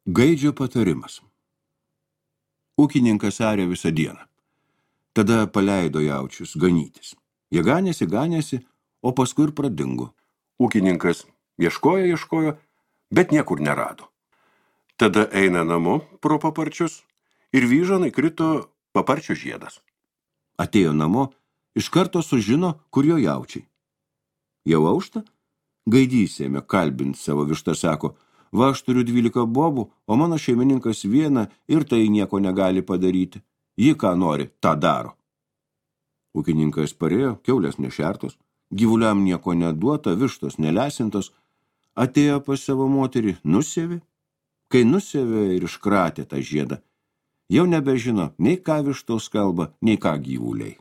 Gaidžio patarimas. Ūkininkas arė visą dieną. Tada paleido jaučius ganytis. Jie ganėsi, o paskui ir pradingo. Ūkininkas ieškojo, bet niekur nerado. Tada eina namo pro paparčius ir vyžan įkrito paparčio žiedas. Atėjo namo, iš karto sužino, kur jo jaučiai. Jau aušta? Gaidys ėmė kalbinti savo vištą, sako, va, aš turiu 12 bobų, o mano šeimininkas vieną ir tai nieko negali padaryti. Ji ką nori, tą daro. Ūkininkas parėjo, kiaulės nešertos, gyvuliam nieko neduota, vištos nelesintos, atėjo pas savo moterį, nusėvė. Kai nusėvė ir iškratė tą žiedą, jau nebežino nei ką vištos kalba, nei ką gyvuliai.